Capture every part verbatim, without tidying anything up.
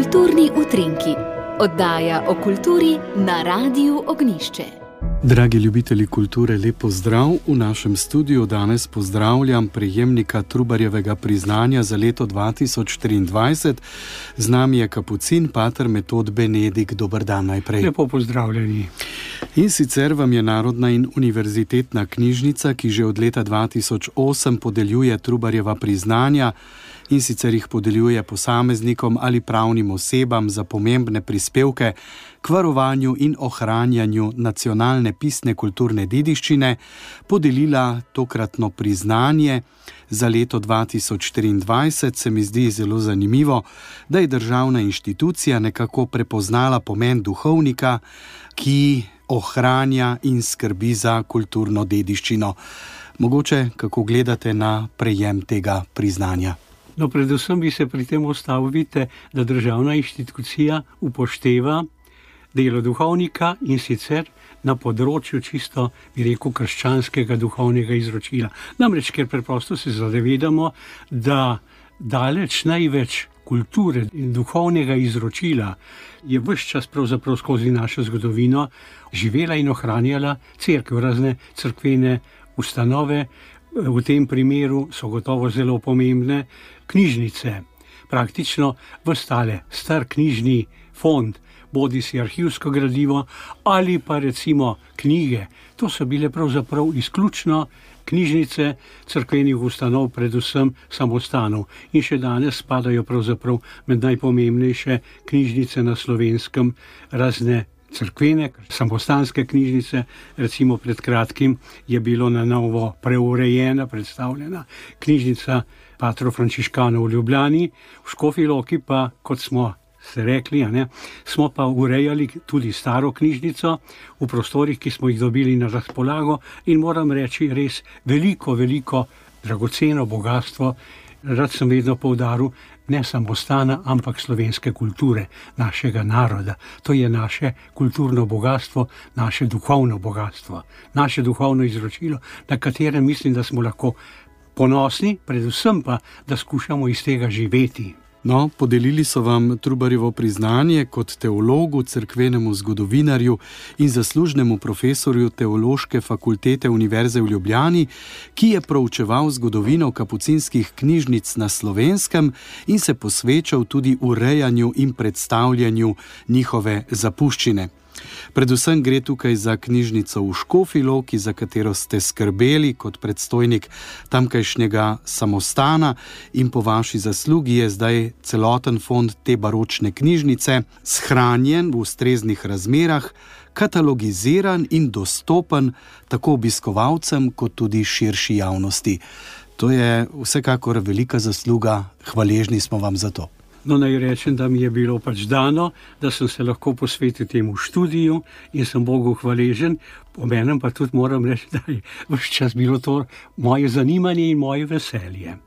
Kulturni utrinki, oddaja o kulturi na Radiu Ognjišče. Dragi ljubitelji kulture, lep pozdrav. V našem studiu danes pozdravljam prejemnika Trubarjevega priznanja za leto dva tisoč triindvajset. Z nami je kapucin pater Metod Benedik. Dober dan najprej. Lepo pozdravljeni. In sicer vam je Narodna in univerzitetna knjižnica, ki že od leta dva tisoč osem podeljuje Trubarjeva priznanja, in sicer jih podeljuje posameznikom ali pravnim osebam za pomembne prispevke k varovanju in ohranjanju nacionalne pisne kulturne dediščine, podelila tokratno priznanje za leto dva tisoč triindvajset. Se mi zdi zelo zanimivo, da je državna inštitucija nekako prepoznala pomen duhovnika, ki ohranja in skrbi za kulturno dediščino. Mogoče, kako gledate na prejem tega priznanja? No, predvsem bi se pri tem ustavil, vidite, da državna inštitucija upošteva delo duhovnika in sicer na področju čisto, bi rekel, krščanskega duhovnega izročila. Namreč, ker preprosto se zavedamo, da daleč največ kulture in duhovnega izročila je ves čas pravzaprav skozi našo zgodovino živela in ohranjala cerkev, razne cerkvene ustanove. V tem primeru so gotovo zelo pomembne knjižnice. Praktično ves tale star knjižni fond, bodi si arhivsko gradivo ali pa recimo knjige, to so bile pravzaprav izključno knjižnice cerkvenih ustanov, predvsem samostanov. In še danes spadajo pravzaprav med najpomembnejše knjižnice na Slovenskem, razne cerkvene, samostanske knjižnice. Recimo pred kratkim je bilo na novo preurejena, predstavljena knjižnica patrov frančiškanov v Ljubljani, v Škofji Loki pa, kot smo se rekli, a ne, smo pa urejali tudi staro knjižnico v prostorih, ki smo jih dobili na razpolago, in moram reči, res veliko, veliko dragoceno bogastvo. Rad sem vedno poudaril, ne samostana, ampak slovenske kulture, našega naroda. To je naše kulturno bogatstvo, naše duhovno bogatstvo, naše duhovno izročilo, na katerem mislim, da smo lahko ponosni, predvsem pa, da skušamo iz tega živeti. No, podelili so vam Trubarjevo priznanje kot teologu, cerkvenemu zgodovinarju in zaslužnemu profesorju Teološke fakultete Univerze v Ljubljani, ki je proučeval zgodovino kapucinskih knjižnic na Slovenskem in se posvečal tudi urejanju in predstavljanju njihove zapuščine. Predvsem gre tukaj za knjižnico v Škofji Loki, za katero ste skrbeli kot predstojnik tamkajšnjega samostana, in po vaši zaslugi je zdaj celoten fond te baročne knjižnice shranjen v ustreznih razmerah, katalogiziran in dostopen tako obiskovalcem kot tudi širši javnosti. To je vsekakor velika zasluga, hvaležni smo vam za to. No, naj rečem, da mi je bilo pač dano, da sem se lahko posvetil temu študiju in sem Bogu hvaležen. Obenem pa tudi moram reči, da je ves čas bilo to moje zanimanje in moje veselje.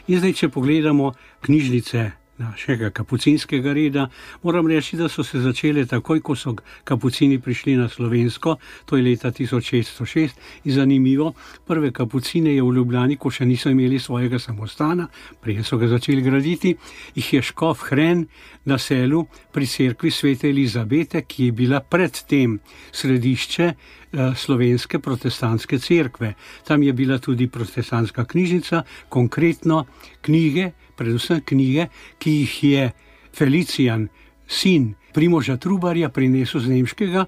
In zdaj, če pogledamo knjižnice našega kapucinskega reda, moram reči, da so se začele takoj, ko so kapucini prišli na Slovensko, to je leta tisoč šeststo šest, in zanimivo, prve kapucine je v Ljubljani, ko še niso imeli svojega samostana, prije so ga začeli graditi, jih je škof Hren naselil pri cerkvi Svete Elizabete, ki je bila predtem središče slovenske protestantske cerkve. Tam je bila tudi protestantska knjižnica, konkretno knjige, predvsem knjige, ki jih je Felicijan, sin Primoža Trubarja, prinesel z nemškega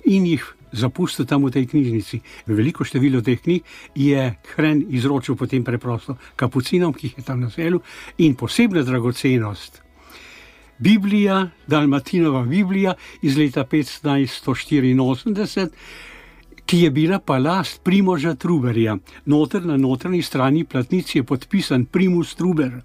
in jih zapustil tam v tej knjižnici. Veliko število teh knjig je Hren izročil potem preprosto kapucinom, ki jih je tam naselil, in posebna dragocenost, Biblija, Dalmatinova Biblija iz leta petnajststo štiriinosemdeset, ki je bila pa last Primoža Trubarja. Noter na notranji strani platnici je podpisan Primus Trubar.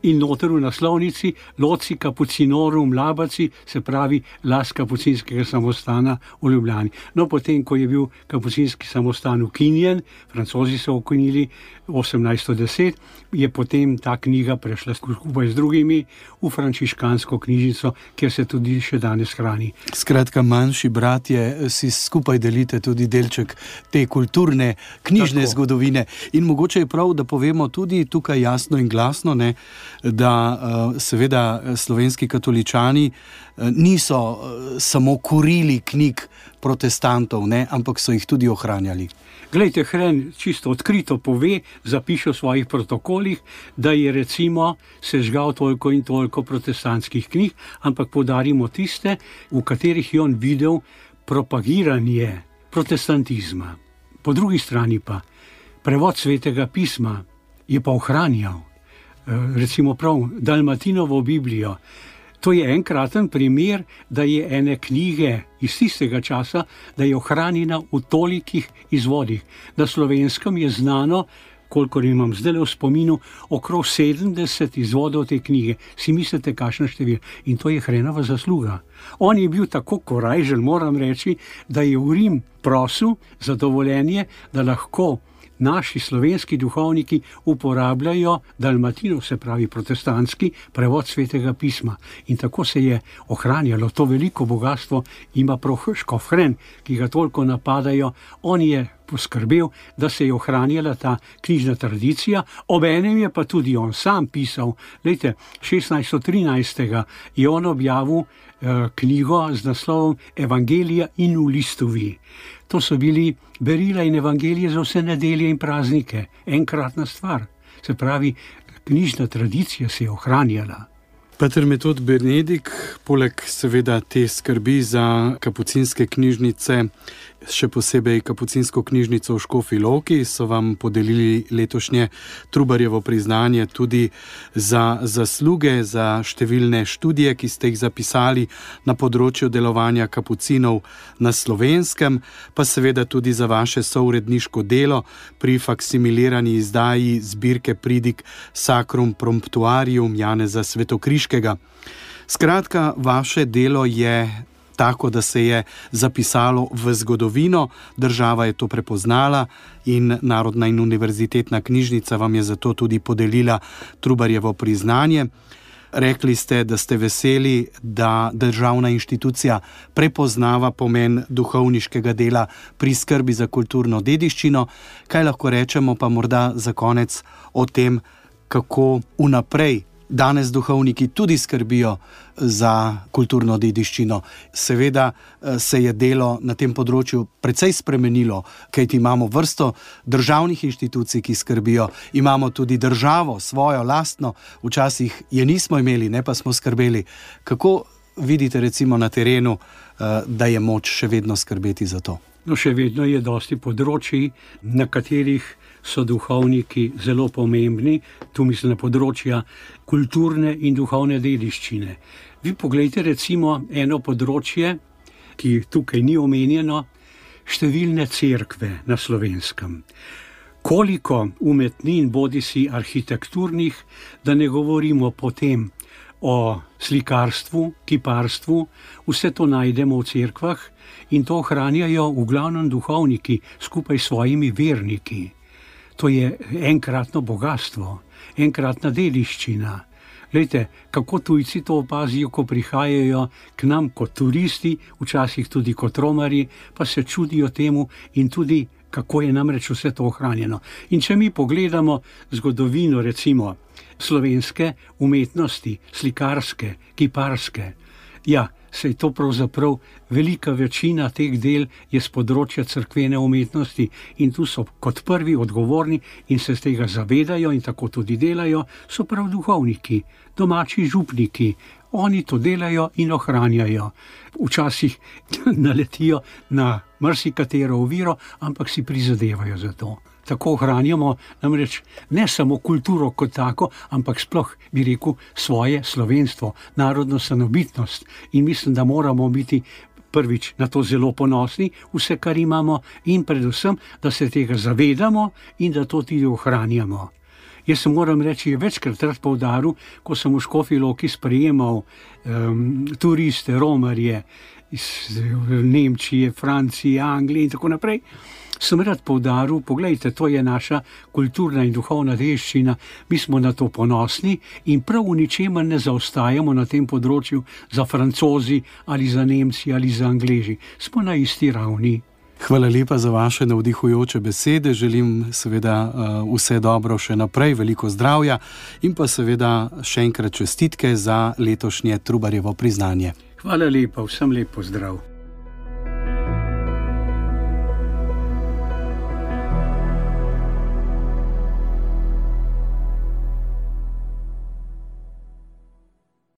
In noter v naslovnici Loci Kapucinorum Labaci, se pravi last kapucinskega samostana v Ljubljani. No, potem, ko je bil kapucinski samostan ukinjen, Francozi so ukinili osemnajststo deset, je potem ta knjiga prešla skupaj z drugimi v frančiškansko knjižnico, kjer se tudi še danes hrani. Skratka, manjši bratje si skupaj delite tudi delček te kulturne, knjižne Tako. zgodovine. In mogoče je prav, da povemo tudi tukaj jasno in glasno, ne, da seveda slovenski katoličani niso samo kurili knjig protestantov, ne, ampak so jih tudi ohranjali. Glejte, Hren čisto odkrito pove, zapiše v svojih protokolih, da je recimo sežgal toliko in toliko protestantskih knjig, ampak poudarimo tiste, v katerih je on videl propagiranje protestantizma. Po drugi strani pa prevod Svetega pisma je pa ohranjal, recimo prav Dalmatinovo Biblijo. To je enkraten primer, da je ene knjige iz tistega časa, da je ohranjena v tolikih izvodih. Na Slovenskem je znano, kolikor imam zdaj v spominu, okrog sedemdeset izvodov te knjige. Si mislite, kakšna število? In to je Hrenova zasluga. On je bil tako korajžen, moram reči, da je v Rim prosil za dovoljenje, da lahko naši slovenski duhovniki uporabljajo Dalmatinov, se pravi protestantski prevod Svetega pisma. In tako se je ohranjalo to veliko bogatstvo, ima prav škof Hren, ki ga toliko napadajo. On je poskrbel, da se je ohranjala ta knjižna tradicija, obenem je pa tudi on sam pisal. Lejte, šestnajststo trinajst je on objavil eh, knjigo z naslovom Evangelija in v listovi. To so bili berila in evangelije za vse nedelje in praznike. Enkratna stvar. Se pravi, knjižna tradicija se je ohranjala. Pater Metod Benedik, poleg seveda te skrbi za kapucinske knjižnice, še posebej kapucinsko knjižnico v Škofji Loki, so vam podelili letošnje Trubarjevo priznanje tudi za zasluge, za številne študije, ki ste jih zapisali na področju delovanja kapucinov na Slovenskem, pa seveda tudi za vaše souredniško delo pri faksimilirani izdaji zbirke pridig Sacrum Promptuarium Janeza Svetokriškega. Skratka, vaše delo je tako, da se je zapisalo v zgodovino, država je to prepoznala in Narodna in univerzitetna knjižnica vam je zato tudi podelila Trubarjevo priznanje. Rekli ste, da ste veseli, da državna inštitucija prepoznava pomen duhovniškega dela pri skrbi za kulturno dediščino. Kaj lahko rečemo pa morda za konec o tem, kako vnaprej danes duhovniki tudi skrbijo za kulturno dediščino. Seveda se je delo na tem področju precej spremenilo, kajti imamo vrsto državnih inštitucij, ki skrbijo, imamo tudi državo, svojo, lastno, včasih je nismo imeli, ne pa smo skrbeli. Kako vidite recimo na terenu, da je moč še vedno skrbeti za to? No, še vedno je dosti področji, na katerih so duhovniki zelo pomembni, tu mislim na področja kulturne in duhovne dediščine. Vi poglejte recimo eno področje, ki tukaj ni omenjeno, številne cerkve na Slovenskem. Koliko umetnin, bodisi arhitekturnih, da ne govorimo potem o slikarstvu, kiparstvu, vse to najdemo v cerkvah in to ohranjajo v glavnem duhovniki skupaj s svojimi verniki. To je enkratno bogatstvo, enkratna dediščina. Glejte, kako tujci to opazijo, ko prihajajo k nam kot turisti, včasih tudi kot romarji, pa se čudijo temu in tudi, kako je namreč vse to ohranjeno. In če mi pogledamo zgodovino, recimo, slovenske umetnosti, slikarske, kiparske, ja, se je to pravzaprav velika večina teh del je z področja cerkvene umetnosti in tu so kot prvi odgovorni in se z tega zavedajo in tako tudi delajo, so prav duhovniki, domači župniki. Oni to delajo in ohranjajo. Včasih naletijo na marsikatero oviro, ampak si prizadevajo za to. Tako ohranjamo namreč ne samo kulturo kot tako, ampak sploh bi rekel svoje slovenstvo, narodno samobitnost. In mislim, da moramo biti prvič na to zelo ponosni, vse, kar imamo, in predvsem, da se tega zavedamo in da to tudi ohranjamo. Jaz se moram reči, je večkrat rad poudaril, ko sem v Škofji Loki sprejemal um, turiste, romarje iz Nemčije, Francije, Anglije in tako naprej, sem rad poudaril, poglejte, to je naša kulturna in duhovna dediščina, mi smo na to ponosni in prav v ničemer ne zaostajamo na tem področju za Francozi ali za Nemci ali za Angleži. Smo na isti ravni. Hvala lepa za vaše navdihujoče besede. Želim seveda vse dobro še naprej, veliko zdravja in pa seveda še enkrat čestitke za letošnje Trubarjevo priznanje. Hvala lepa, vsem lep pozdrav.